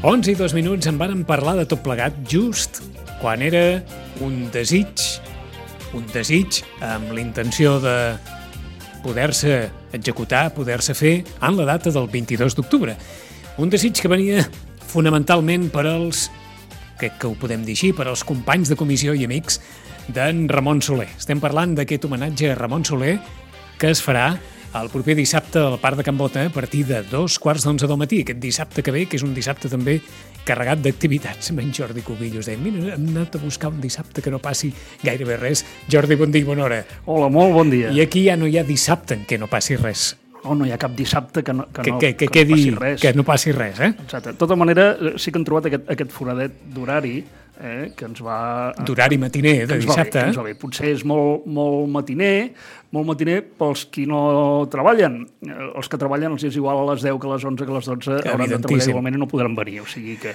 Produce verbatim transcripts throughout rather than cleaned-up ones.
onze i dos minuts en vàrem parlar de tot plegat just quan era un desig, un desig amb la intenció de poder-se executar, poder-se fer en la data del vint-i-dos d'octubre. Un desig que venia fonamentalment per als, crec que ho podem dir així, per als companys de comissió i amics d'en Ramon Soler. Estem parlant d'aquest homenatge a Ramon Soler que es farà el proper dissabte al Parc de Can Bota a partir de dos quarts d'onze del matí. Aquest dissabte que ve, que és un dissabte també carregat d'activitats. En Jordi Cubillos deia, mira, hem anat a buscar un dissabte que no passi gairebé res. Jordi, bon dia i bona hora. Hola, molt bon dia. I aquí ja no hi ha dissabte en què no passi res. No, no hi ha cap dissabte que no, que que, no, que, que, que no quedi, passi res. Que no passi res, eh? Exacte. De tota manera, sí que hem trobat aquest, aquest foradet d'horari eh, que ens va... D'horari matiner, de dissabte. Bé, eh? Potser és molt, molt matiner, molt matiner pels qui no treballen. Els que treballen els és igual a les deu que a les onze que a les dotze hauran de treballar igualment i no podran venir. O sigui que...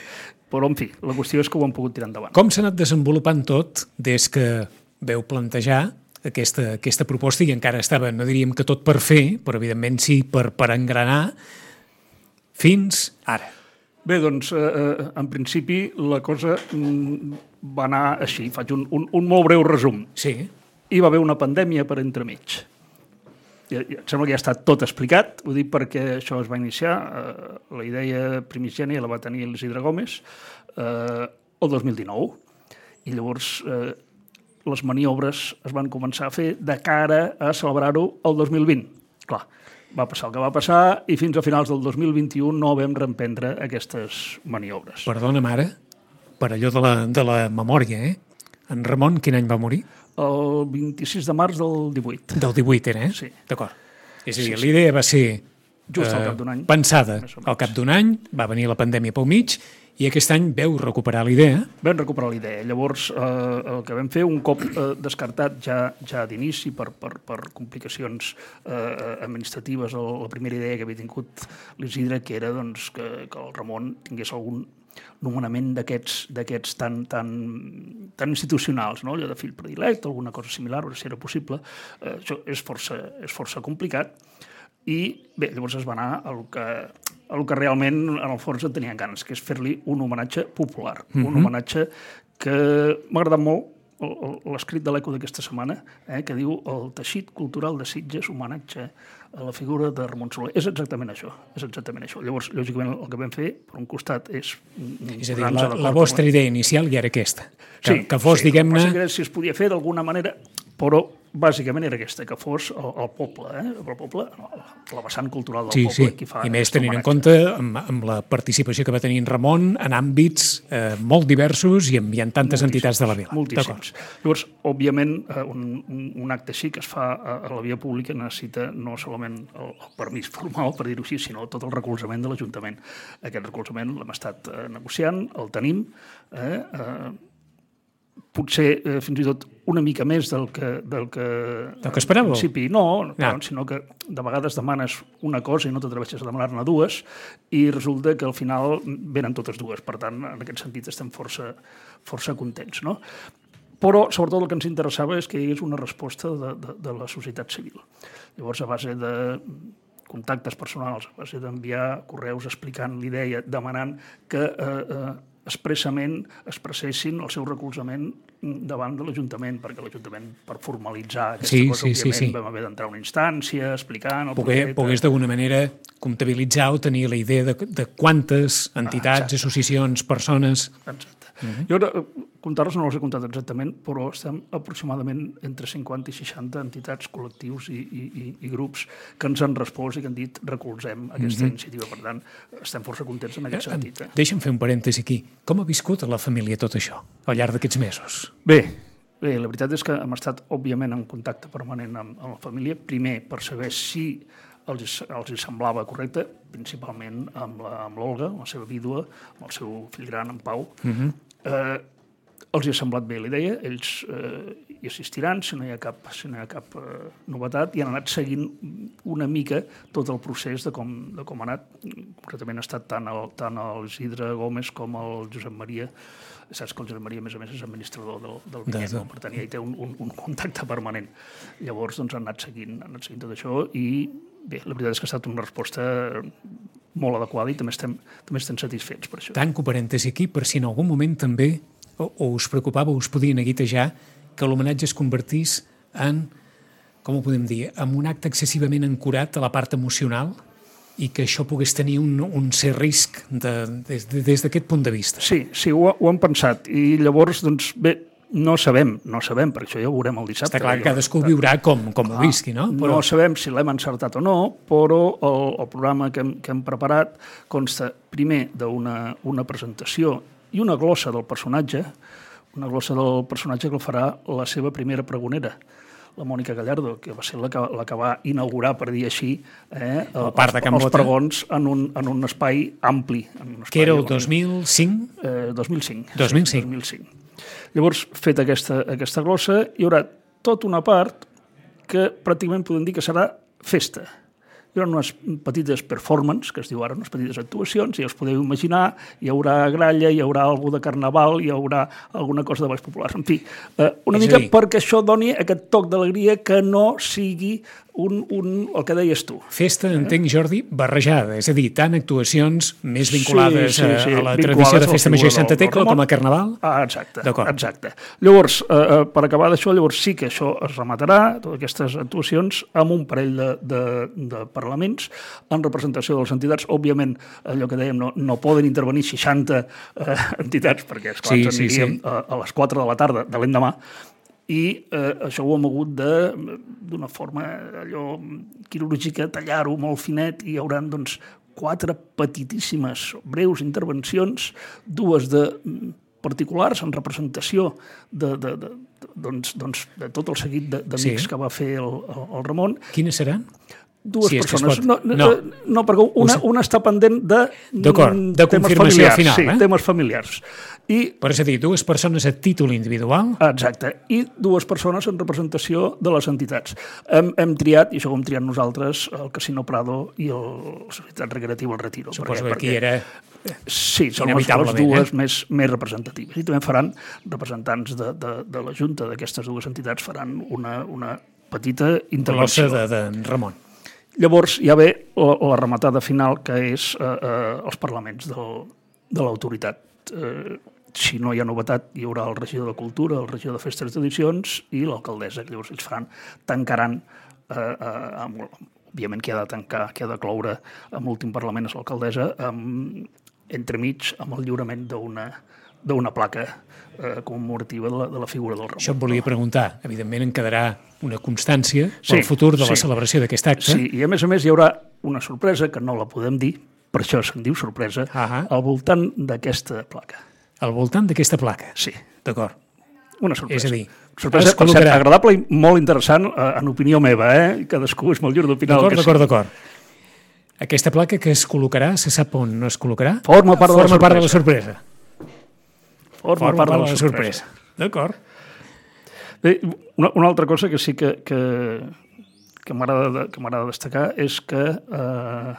Però, en fi, la qüestió és que ho han pogut tirar endavant. Com s'ha anat desenvolupant tot des que veu plantejar aquesta, aquesta proposta i encara estava, no diríem que tot per fer, però evidentment sí per, per engranar fins ara? Bé, doncs, eh, en principi la cosa va anar així. Faig un, un, un molt breu resum. Sí. Hi va haver una pandèmia per entremig. Ja, ja, em sembla que ja està tot explicat, ho dic perquè això es va iniciar, eh, la idea primigènia la va tenir l'Isidre Gómez eh, el dos mil dinou, i llavors eh, les maniobres es van començar a fer de cara a celebrar-ho el dos mil vint. Clar, va passar el que va passar i fins a finals del dos mil vint-i-u no vam reemprendre aquestes maniobres. Perdona'm ara, per allò de la, de la memòria, eh? En Ramon, quin any va morir? El vint-i-sis de març del divuit. Del divuit era, eh? Sí. D'acord. És a dir, Sí, sí. l'idea va ser Just al eh, cap d'un any. pensada Més o menys. al cap d'un any, va venir la pandèmia pel mig, i aquest any veu recuperar la idea. Vam recuperar la idea. Llavors, eh, el que vam fer, un cop eh, descartat ja, ja d'inici per, per, per complicacions eh, administratives, el, la primera idea que havia tingut l'Isidre, que era doncs, que, que el Ramon tingués algun nomenament d'aquests d'aquests tan, tan, tan institucionals, no? Allò de fill predilecte, alguna cosa similar, o si era possible. Eh, això és força, és força complicat. I bé, llavors es va anar al que, al que realment en el fons en tenien ganes, que és fer-li un homenatge popular. Mm-hmm. Un homenatge que m'ha agradat molt l'escrit de l'Eco d'aquesta setmana, eh, que diu el teixit cultural de Sitges, homenatge a la figura de Ramon Soler. És exactament això, és exactament això. Llavors, lògicament, el que vam fer, per un costat, és... És a dir, la, la vostra idea inicial ja era aquesta. Que, sí, que fos, sí, diguem-ne... Si es podia fer d'alguna manera, però bàsicament era aquesta, que fos el, el poble, eh? el poble, la vessant cultural del sí, poble. Sí, Qui fa i més tenint en compte amb, amb la participació que va tenir en Ramon en àmbits eh, molt diversos i amb, hi ha tantes moltíssims entitats de la vila. Moltíssims. Llavors, òbviament, un, un, un acte així que es fa a, a la via pública necessita no solament el, el permís formal, per dir-ho així, sinó tot el recolzament de l'Ajuntament. Aquest recolzament l'hem estat eh, negociant, el tenim, eh, eh, potser eh, fins i tot una mica més del que... Del que, del que esperàveu? En principi no, ah. sinó que de vegades demanes una cosa i no t'atreveixes a demanar-ne dues i resulta que al final venen totes dues. Per tant, en aquest sentit estem força, força contents, no? Però, sobretot, el que ens interessava és que hi hagués una resposta de, de, de la societat civil. Llavors, a base de contactes personals, a base d'enviar correus explicant l'idea, demanant que eh, eh, expressament expressessin el seu recolzament davant de l'Ajuntament, perquè l'Ajuntament, per formalitzar aquesta sí, cosa, sí, òbviament, sí, sí. vam haver d'entrar a una instància explicant el Pogués, projecte. Pogués d'alguna manera comptabilitzar o tenir la idea de, de quantes entitats, ah, associacions, persones... Exacte. Uh-huh. Jo ara, comptar-los no els he comptat exactament, però estem aproximadament entre cinquanta i seixanta entitats, col·lectius i, i, i, i grups que ens han respost i que han dit recolzem aquesta uh-huh. iniciativa. Per tant, estem força contents en aquest sentit. Eh? Deixa'm fer un parèntesi aquí. Com ha viscut a la família tot això al llarg d'aquests mesos? Bé, bé, la veritat és que hem estat, òbviament, en contacte permanent amb, amb la família. Primer, per saber si els, els semblava correcte, principalment amb l'Olga, la, la seva vídua, amb el seu fill gran, en Pau. Uh-huh. eh, els hi ha semblat bé la idea, ells eh, hi assistiran si no hi ha cap, si no hi ha cap eh, novetat, i han anat seguint una mica tot el procés de com, de com ha anat. Concretament ha estat tant el, tant el Isidre Gómez com el Josep Maria. Saps que el Josep Maria, a més a més, és administrador del, del Vinyet, no? Per tant, ja hi té un, un, un contacte permanent. Llavors, doncs, han anat seguint, han anat seguint tot això i, bé, la veritat és que ha estat una resposta molt adequada i també estem, també estem satisfets per això. Tanco parèntesi aquí, per si en algun moment també o, o us preocupava o us podien aguitejar que l'homenatge es convertís en, com ho podem dir, en un acte excessivament ancorat a la part emocional i que això pogués tenir un, un cert risc de, des, de, des d'aquest punt de vista. Sí, sí, ho, ho hem pensat. I llavors, doncs, bé, no sabem, no sabem, perquè això ja ho veurem el dissabte. Està clar que cadascú viurà com, com ho visqui, no? Però... No sabem si l'hem encertat o no, però el, el programa que hem, que hem preparat consta primer d'una una presentació i una glossa del personatge, una glossa del personatge que el farà la seva primera pregonera, la Mònica Gallardo, que va ser la que, la que va inaugurar, per dir així, eh, el parc de Can els Bota. pregons en un, en un espai ampli. En un espai, que era el dos mil cinc? Eh, dos mil cinc. dos mil cinc. dos mil cinc. Llavors, feta aquesta, aquesta glossa, hi haurà tota una part que pràcticament podem dir que serà festa. Hi haurà unes petites performances, que es diu ara, unes petites actuacions, ja us podeu imaginar, hi haurà gralla, hi haurà alguna de carnaval, hi haurà alguna cosa de balls populars. En fi, eh, una És mica a dir, perquè això doni aquest toc d'alegria que no sigui un, un, el que deies tu. Festa, entenc, Jordi, barrejada, és a dir, tant actuacions més vinculades Sí, sí, sí, a, a la vinculades tradició de a la Festa Major i figura Santa del- del Tecla Ramon. com a Carnaval. Ah, exacte, D'acord. exacte. Llavors, eh, eh, per acabar d'això, llavors sí que això es rematarà, totes aquestes actuacions, amb un parell de, de, de parlaments en representació de les entitats. Òbviament, allò que dèiem, no, no poden intervenir seixanta eh, entitats, perquè esclar, Sí, ens sí, aniríem sí. a, a les quatre de la tarda de l'endemà, i eh, això ho hem hagut de, d'una forma allò quirúrgica, tallar-ho molt finet, i hi haurà doncs, quatre petitíssimes, breus intervencions, dues de particulars en representació de, de, de, doncs, doncs, de tot el seguit de- d'amics Sí. que va fer el, el, el Ramon. Quines seran? Dues Si és que es persones. pot. No, No. no. no, perquè una, una està pendent de, D'acord, de temes confirmació familiars, final, sí, eh? temes familiars. I Per és a dir, dues persones a títol individual. Exacte, i dues persones en representació de les entitats. Hem, hem triat, i això ho hem triat nosaltres, el Casino Prado i el, la Societat Recreativa El Retiro. Suposo Per que què? aquí era... Sí, són les, les inevitablement, dues eh? més, més representatives. I també faran, representants de, de, de la Junta d'aquestes dues entitats, faran una, una petita Glossa intervenció. de, de Ramon. Llavors hi ha bé la, la rematada final, que és eh, eh, els parlaments del, de l'autoritat. Eh, si no hi ha novetat, hi haurà el regidor de Cultura, el regidor de Festes i Tradicions i l'alcaldessa. Llavors ells faran, tancaran, eh, eh, amb, òbviament qui ha de tancar, qui ha de cloure amb l'últim Parlament és l'alcaldessa, amb, entremig amb el lliurament d'una d'una placa eh, commemorativa de la, de la figura del Ramon. Això et volia preguntar. Evidentment en quedarà una constància Sí, pel futur de la sí. celebració d'aquest acte. Sí, i a més a més hi haurà una sorpresa, que no la podem dir, per això se'n diu sorpresa, Ahà. al voltant d'aquesta placa. Al voltant d'aquesta placa. Sí, D'acord. una sorpresa. És a dir, sorpresa, es per cert, col·locarà- agradable i molt interessant, eh, en opinió meva, eh? Cadascú és molt lliure d'opinar el D'acord, que d'acord, sigui. d'acord. Aquesta placa que es col·locarà, se sap on es col·locarà? Forma part de la Forma part de la sorpresa. sorpresa. Forma, Forma part de la sorpresa. D'acord. Bé, una, una altra cosa que sí que, que, que m'agrada de, que m'agrada destacar és que, eh,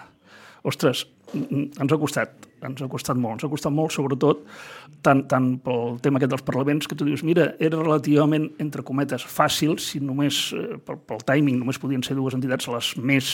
ostres, ens ha costat, ens ha costat molt, ens ha costat molt, sobretot, tant, tant pel tema aquest dels parlaments, que tu dius, mira, era relativament, entre cometes, fàcil, si només, eh, pel, pel timing, només podien ser dues entitats, les més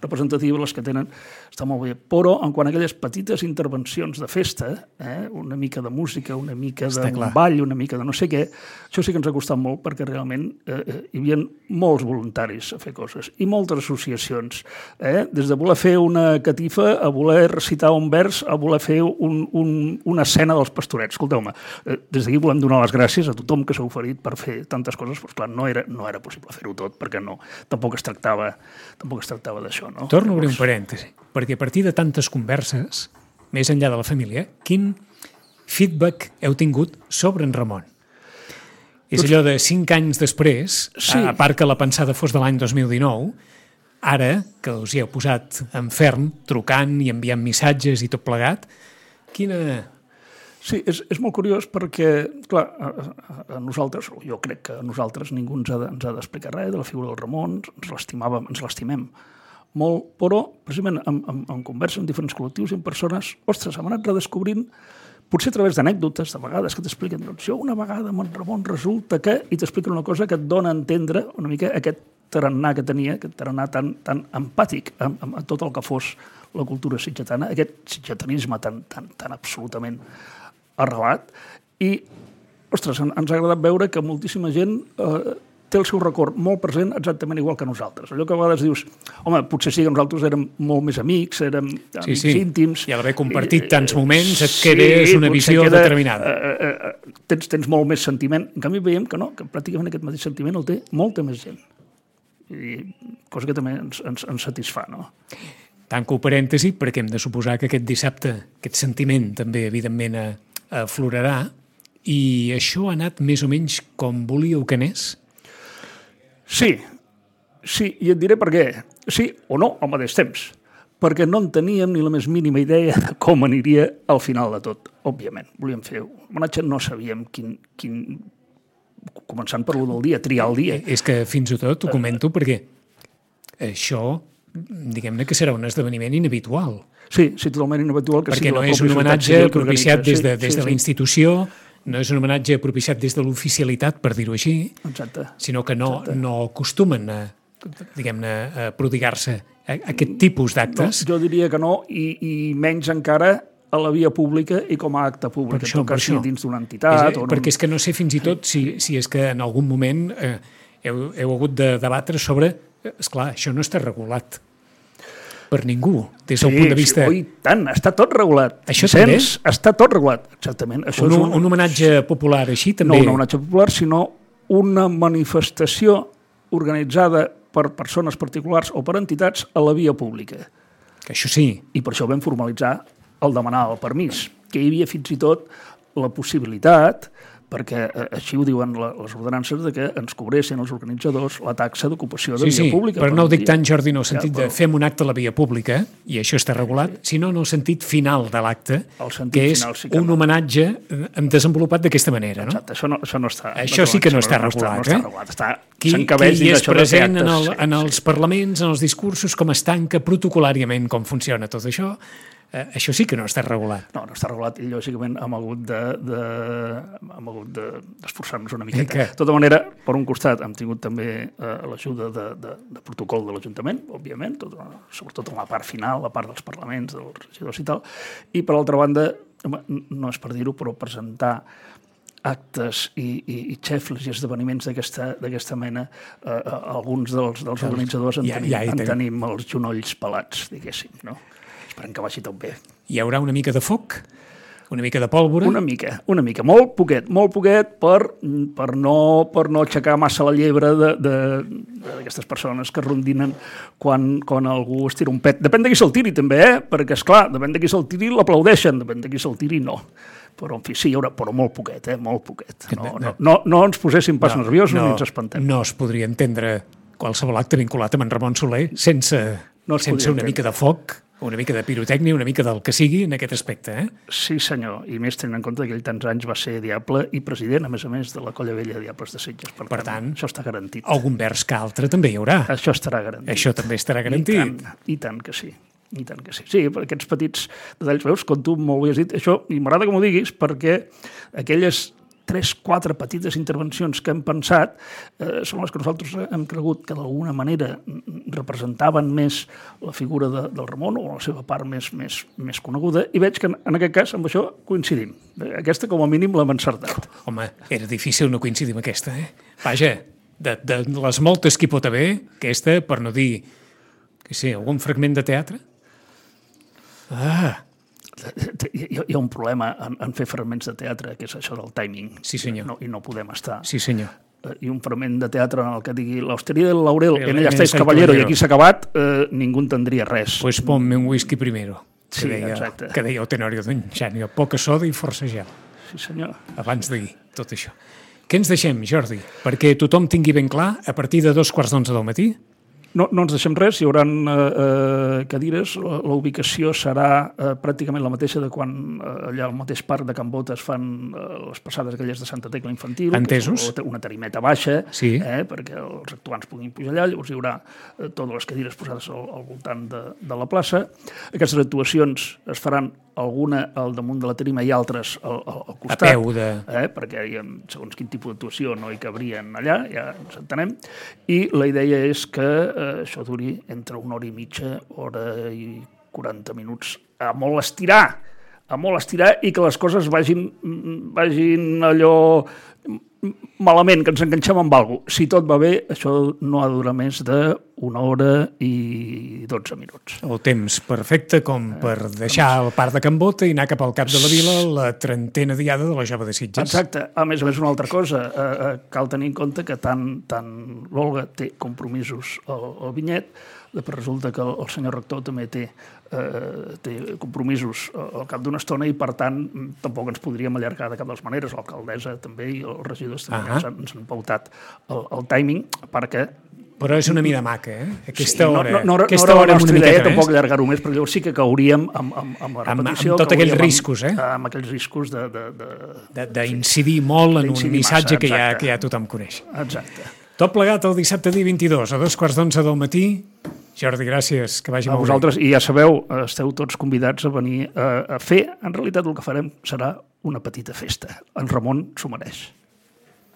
representatives, les que tenen, està molt bé. Però, en quant a aquelles petites intervencions de festa, eh, una mica de música, una mica Està d'un clar. ball, una mica de no sé què, això sí que ens ha costat molt, perquè realment eh, eh, hi havia molts voluntaris a fer coses, i moltes associacions, eh, des de voler fer una catifa, a voler recitar un vers, a voler fer un, un, una escena dels pastorets. Escolteu-me, eh, des d'aquí volem donar les gràcies a tothom que s'ha oferit per fer tantes coses, però clar, no era, no era possible fer-ho tot, perquè no, tampoc es tractava, tampoc es tractava d'això, no? Torno a obrir un parèntesi, perquè a partir de tantes converses, més enllà de la família, quin feedback heu tingut sobre en Ramon? És allò de cinc anys després, Sí. a part que la pensada fos de l'any dos mil dinou, ara que us hi heu posat en ferm, trucant i enviant missatges i tot plegat, quina... Sí, és, és molt curiós perquè, clar, a, a, a nosaltres, o jo crec que a nosaltres ningú ens ha de, ens ha d'explicar res de la figura del Ramon, ens l'estimàvem, ens l'estimem molt, però precisament en, en, en conversa amb diferents col·lectius i amb persones, ostres, hem anat redescobrint, potser a través d'anècdotes, de vegades que t'expliquen, doncs jo una vegada amb en Ramon resulta que, i t'expliquen una cosa que et dona a entendre una mica aquest tarannà que tenia, aquest tarannà tan, tan empàtic amb, amb tot el que fos la cultura sitgetana, aquest sitgetanisme tan, tan, tan absolutament arrelat. I, ostres, ens ha agradat veure que moltíssima gent eh, té el seu record molt present exactament igual que nosaltres. Allò que a vegades dius, home, potser sí que nosaltres érem molt més amics, érem amics sí, sí. íntims. I al haver compartit i, tants moments et quedes sí, una visió queda, determinada. Eh, eh, tens, tens molt més sentiment. En canvi veiem que no, que pràcticament aquest mateix sentiment el té molta més gent. I cosa que també ens, ens, ens satisfà, no? Tanco parèntesi, perquè hem de suposar que aquest dissabte aquest sentiment també, evidentment, aflorarà, i això ha anat més o menys com volíeu que anés? Sí, sí, i et diré per què. Sí o no al mateix temps, perquè no en teníem ni la més mínima idea de com aniria al final de tot, òbviament. Volíem fer un homenatge, no sabíem quin... quin... començant per l'u del dia, triar el dia. És que fins i tot ho comento perquè això... diguem-ne que serà un esdeveniment inhabitual. Sí, sí, totalment inhabitual. Que perquè no és un homenatge propiciat des de, des de la institució, no és un homenatge propiciat des de l'oficialitat, per dir-ho així, exacte, sinó que no, exacte. no acostumen a, diguem-ne, a prodigar-se a aquest tipus d'actes. No, jo diria que no, i, i menys encara a la via pública i com a acte públic, això, en tot cas sí, dins d'una entitat. És, o perquè un... és que no sé fins i tot si, si és que en algun moment eh, heu, heu hagut de debatre sobre... Esclar, això no està regulat per ningú, des del sí, punt de vista... Sí, oh, tant, està tot regulat. Això Sens, també? Està tot regulat, exactament. Això un, és un... un homenatge popular així també... No un homenatge popular, sinó una manifestació organitzada per persones particulars o per entitats a la via pública. Que això sí. I per això vam formalitzar el demanar el permís, que hi havia fins i tot la possibilitat, perquè així ho diuen les ordenances, de que ens cobressin els organitzadors la taxa d'ocupació de sí, via pública. Sí, però no ho dic tant, Jordi, no el sentit ja, però... de fem un acte a la via pública, i això està regulat, sinó en el sentit final de l'acte, que és sí que un no. homenatge desenvolupat d'aquesta manera. No? Exacte, això no, això no està... Això sí que no està regulat. No està, no està regulat. Està, qui, qui és present en, el, en els sí, parlaments, en els discursos, com es tanca protocolàriament, com funciona tot això, Eh, això sí que no està regulat. No, no està regulat i lògicament hem hagut de, de, hem hagut de, d'esforçar-nos una miqueta. Que... De tota manera, per un costat hem tingut també eh, l'ajuda de, de, de protocol de l'Ajuntament, òbviament, tot, sobretot en la part final, la part dels parlaments, dels regidors i tal, i per l'altra banda, home, no és per dir-ho, però presentar actes i, i, i xefles i esdeveniments d'aquesta mena, eh, alguns dels, dels organitzadors en, ja, tenim, ja en tenim els genolls pelats, diguéssim, no? Esperem que vagi tot bé. Hi haurà una mica de foc? Una mica de pólvora? Una mica, una mica. Molt poquet, molt poquet per, per, no, per no aixecar massa la llebre d'aquestes persones que rondinen quan, quan algú es tira un pet. Depèn de qui se'l tiri, també, eh? Perquè, esclar, depèn de qui se'l tiri, l'aplaudeixen, depèn de qui se'l tiri, no. Però, en fi, sí, hi haurà, però molt poquet, eh? Molt poquet. No, no, no, no ens poséssim pas no, nerviosos no, ni ens espantem. No es podria entendre qualsevol acte vinculat amb en Ramon Soler sense, no sense una mica de foc, una mica de pirotècnia, una mica del que sigui en aquest aspecte, eh? Sí, senyor, i més tenint en compte que ell tants anys va ser diable i president, a més a més, de la Colla Vella de Diables de Sitges. Per, per tant, això està garantit. Algun vers que altre també hi haurà. Això estarà garantit. Això també estarà garantit. I tant, i tant que sí. I tant que sí. Sí, aquests petits detalls, veus, com tu molt bé has dit, això, i m'agrada que m'ho diguis, perquè aquelles tres, quatre petites intervencions que hem pensat eh, són les que nosaltres hem cregut que d'alguna manera representaven més la figura de, del Ramon o la seva part més, més, més coneguda, i veig que en, en aquest cas amb això coincidim. Aquesta com a mínim l'hem encertat. Home, era difícil no coincidir amb aquesta, eh? Vaja, de, de les moltes que hi pot haver, aquesta, per no dir, que sé, algun fragment de teatre? Ah... Hi ha un problema en, en fer fragments de teatre, que és això del timing. Sí, senyor. No, I no podem estar. Sí, senyor. I un fragment de teatre en el que digui l'hosteria del Laurel, en ella estáis caballero, i aquí s'ha acabat, eh, ningú entendria res. Pues ponme un whisky primero, que, sí, deia, exacte. que deia el Tenorio d'en Xanio. Poca soda i força gel. Sí, senyor. Abans de dir tot això. Què ens deixem, Jordi? Perquè tothom tingui ben clar, a partir de dos quarts d'onze del matí... No, no ens deixem res, hi haurà eh, cadires, la, la ubicació serà eh, pràcticament la mateixa de quan eh, allà al mateix parc de Can Bota es fan eh, les passades aquelles de Santa Tecla Infantil, entesos, que és una tarimeta baixa, sí, eh, perquè els actuants puguin pujar allà, llavors hi haurà eh, totes les cadires posades al, al voltant de, de la plaça. Aquestes actuacions es faran alguna al damunt de la tarima i altres al, al, al costat. A peu de... Eh, perquè hi ha, segons quin tipus d'actuació no hi cabrien allà, ja ens entenem. I la idea és que eh, això duri entre una hora i mitja, hora i quaranta minuts, a molt estirar, a molt estirar i que les coses vagin, vagin allò malament, que ens enganxem amb alguna cosa. Si tot va bé, això no ha de durar més d'una hora i dotze minuts. El temps perfecte com per deixar el parc de Can Bota i anar cap al cap de la vila la trentena diada de la Jove de Sitges. Exacte. A més a més, una altra cosa, eh, eh, cal tenir en compte que tant, tant l'Olga té compromisos al, al Vinyet, però resulta que el, el senyor rector també té, eh, té compromisos al cap d'una estona i, per tant, tampoc ens podríem allargar de cap de les maneres. L'alcaldessa també i els regidors també uh -huh. ens, han, ens han pautat el, el timing perquè... Però és una mida maca, eh? Aquesta sí, hora. No, no, no, aquesta no hora era la nostra idea més. tampoc allargar-ho més, perquè llavors sí que cauríem amb, amb, amb la repetició. Amb, amb tots aquells riscos, eh? Amb, amb aquells riscos de... D'incidir sí. molt en un missatge massa, que, ja, que ja tothom coneix. Exacte. Tot plegat el dissabte dia vint-i-dos, a dos quarts d'onze del matí. Jordi, gràcies, que vagi a molt vosaltres, bé. I ja sabeu, esteu tots convidats a venir a, a fer. En realitat el que farem serà una petita festa. En Ramon s'ho mereix.